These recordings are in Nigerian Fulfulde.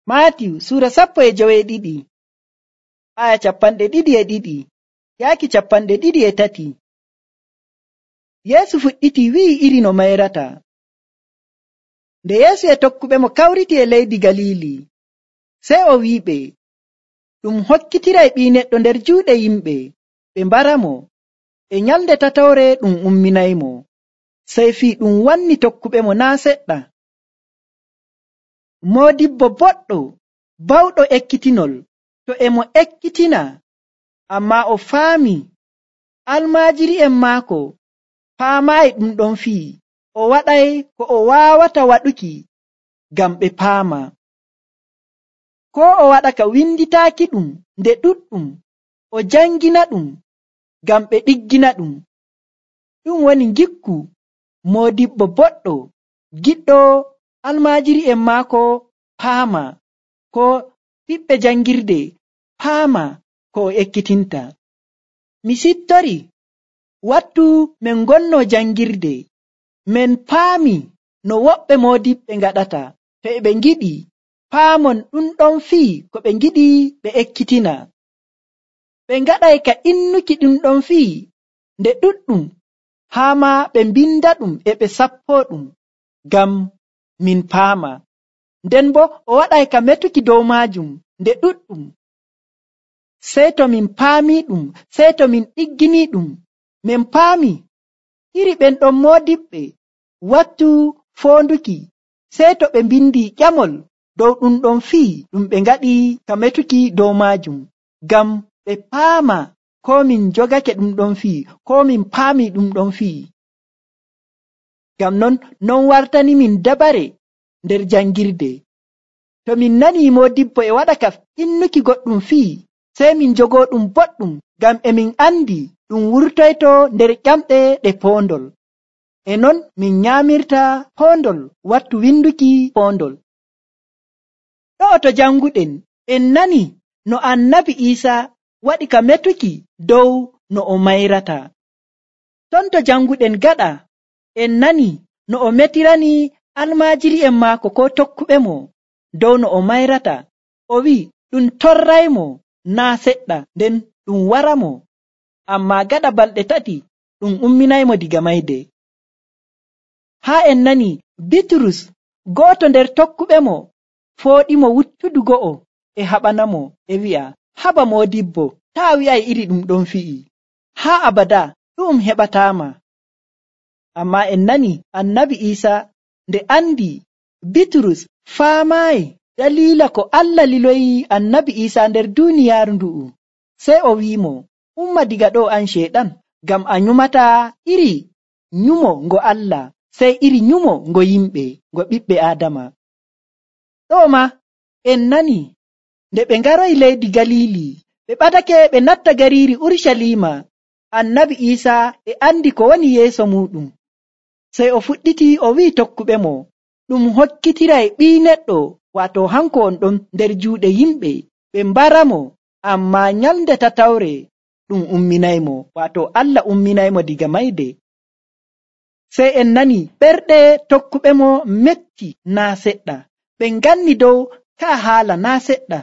Maatiyu Sura 12 aya 22 yaaki 23. Yeesu fuɗɗiti wi'i iri no mayrata. Nde Yeesu e tokkuɓe mo kawriti e leydi Galili, sey o wi'iɓe, ɗum hokkitiray Ɓii Neɗɗo nder juuɗe yimɓe, ɓe mbaramo. E nyalnde tatawre ɗum umminaymo. Sey fii ɗum wanni tokkuɓe mo naa' seɗɗa. Moodibbo boɗɗo bawɗo ekkitinol to e mo ekkitina, ammaa o faami almaajiri'en maako paamaayi ɗum ɗon fii, o waɗay ko o waawata waɗuki ngam ɓe paama. Koo o waɗa ka winditaaki ɗum nde ɗuɗɗum, o jangina ɗum ngam ɓe ɗiggina ɗum. Ɗum woni ngikku moodibbo boɗɗo giɗɗo almaajiri'en maako paama, ko ɓiɓɓe jangirde paama ko o ekkitinta. Mi sittori wattu men gonno jangirde, men paami no woɓɓe moodiɓɓe ngaɗata to e ɓe ngiɗi paamon ɗum ɗon fii ko ɓe ngiɗi ɓe ekkitina. Ɓe ngaɗay ka innuki ɗum ɗon fii nde ɗuɗɗum, haa ma ɓe mbinda ɗum e ɓe sappoo ɗum ngam min paama. Nden bo o waɗay ka metuki dow maajum nde ɗuɗɗum. Sey to min paami ɗum, sey to min ɗiggini ɗum, min paami iri ɓen ɗon moodiɓɓe wattu foonduki, sey to ɓe mbindi ƴamol dow ɗum ɗon fii ɗum ɓe ngaɗi ka metuki dow maajum, ngam ɓe paama ko min jogake ɗum ɗon fii, ko min paami ɗum ɗon fii. Ngam non wartani min dabare nder jangirde. To min nani moodibbo e waɗa ka innuki goɗɗum fii, sey min jogoo ɗum boɗɗum, ngam e min andi ɗum wurtoyto nder ƴamɗe ɗe poondol. E non min nyaamirta poondol wattu winduki poondol. Ɗo'o to janguɗen en nani no Annabi Iisaa waɗi ka metuki dow no o mayrata. Ton to janguɗen gaɗa en nani no o metirani almaajiri'en maako ko tokkuɓe mo dow no o mayrata. O wi'i ɗum torraymo naa seɗɗa, nden ɗum waramo, ammaa gaɗa balɗe 3 ɗum umminaymo diga mayde. Haa en nani Bitrus, go'oto nder tokkuɓe mo, fooɗimo wuttudu go'o e haɓanamo e wi'a, haba moodibbo, taa wi'ay iri ɗum ɗon fi'i, haa abada ɗum heɓataama. Ammaa en nani Annabi Iisaa nde andi Bitrus faamaayi daliila ko Allah liloyi Annabi Iisaa nder duuniyaaru ndu'u, sey o wi'imo, umma diga ɗo an ceeɗan, ngam a nyumata iri nyumo ngo Allah, sey iri nyumo ngo yimɓe, ngo ɓiɓɓe Aadama. Ɗo ma en nani nde ɓe ngaroyi leydi Galili, ɓe ɓadake ɓe natta gariiri Urshalima, Annabi Iisaa e andi ko woni yeeso muɗum. Sey o fuɗɗiti o wi'i tokkuɓe mo, ɗum hokkitiray Ɓii Neɗɗo, waato hanko on ɗon nder juuɗe yimɓe, ɓe mbaramo, ammaa nyalnde tatawre ɗum umminaymo, waato Allah umminaymo diga mayde. Sey en nani ɓerɗe tokkuɓe mo metti naa seɗɗa, ɓe nganni dow ka haala naa seɗɗa.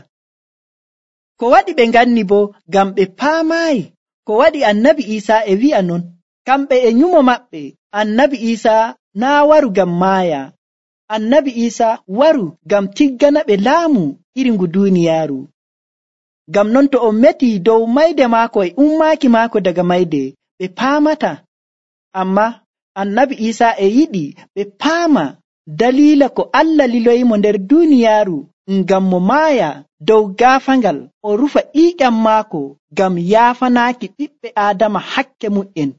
Ko waɗi ɓe nganni bo ngam ɓe paamaayi ko waɗi Annabi Iisaa e wi'a non. Kamɓe e nyumo maɓɓe, Annabi Iisaa naa waru ngam maaya, Annabi Iisaa waru ngam tiggana ɓe laamu iri ngu duuniyaaru. Ngam non to o meti dow mayde maako e ummaaki maako daga mayde, ɓe paamata. Ammaa Annabi Iisaa e yiɗi ɓe paama daliila ko Allah liloyimo nder duuniyaaru ngam mo maaya dow gaafangal, o rufa ƴiiƴam maako ngam yaafanaaki ɓiɓɓe Aadama hakke mu'en,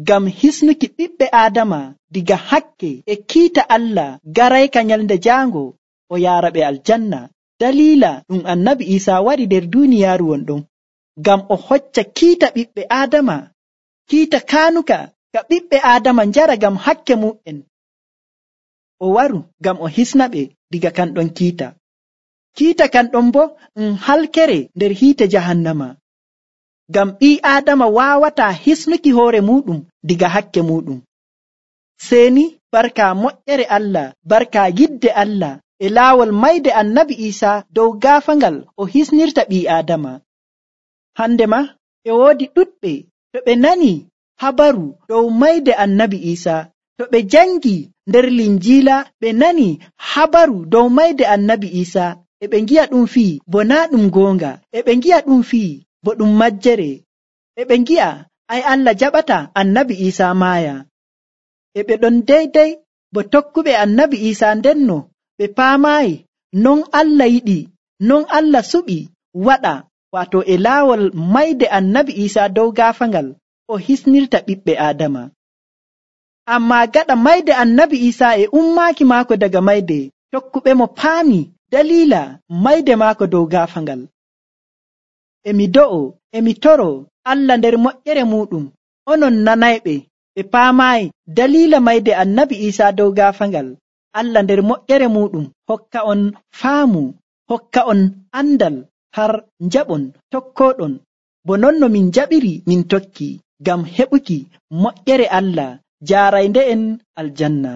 ngam hisnuki ɓiɓɓe Aadama diga hakke e kiita Allah garayka nyalnde jaango o yaara ɓe aljanna. Daliila ɗum Annabi Iisaa waɗi nder duuniyaaru wonɗon, ngam o hocca kiita ɓiɓɓe Aadama, kiita kaanuka ka ɓiɓɓe Aadama njara ngam hakke mu'en. O waru ngam o hisna ɓe diga kanɗon kiita. Kiita kanɗon bo halkere nder hiite jahannama, ngam ɓii Aadama waawataa hisnuki hoore muɗum diga hakke muɗum. Seeni barka moƴƴere Allah, barka yidde Allah e laawol mayde annabi Iisa dow gaafangal o hisnirta ɓii Aadama. Hande ma e woodi ɗuɗɓe to ɓe nani habaru dow mayde annabi Iisa, to ɓe jangi nder Linjiila ɓe nani habaru dow mayde annabi Iisa, e ɓe ngi'a ɗum fii bo naa ɗum goonga, e ɓe ngi'a ɗum fii bo ɗum majjere, e ɓe ngi'a ay Allah jaɓata annabi Iisa maaya. E ɓe ɗon deydey bo tokkuɓe annabi Iisa ndenno ɓe paamaayi non Allah yiɗi, non Allah suɓi waɗa, waato e laawol mayde annabi Iisa dow gaafangal o hisnirta ɓiɓɓe Aadama. Ammaa gaɗa mayde annabi Iisa e ummaaki maako daga mayde, tokkuɓe mo paami daliila mayde maako dow gaafangal. E mi do'o, e mi toro Allah nder moƴƴere muɗum, onon nanayɓe, ɓe paamaayi daliila mayde annabi Iisa dow gaafangal. Allah nder moƴƴere muɗum hokka on faamu, hokka on andal har njaɓon tokkoɗon, bo non no min jaɓiri min tokki, ngam heɓuki moƴƴere Allah jaaraynde en aljanna.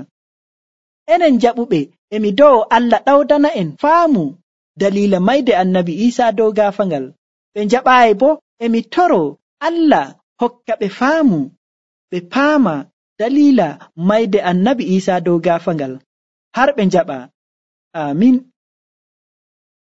Enen jaɓuɓe e mi do'o Allah ɗawdana en faamu daliila mayde annabi Iisa dow gaafangal. Ɓe njaɓaayi bo e mi toro Allah hokka ɓe faamu, ɓe paama daliila mayde annabi Iisa dow gaafangal har ɓe njaɓa. Amin.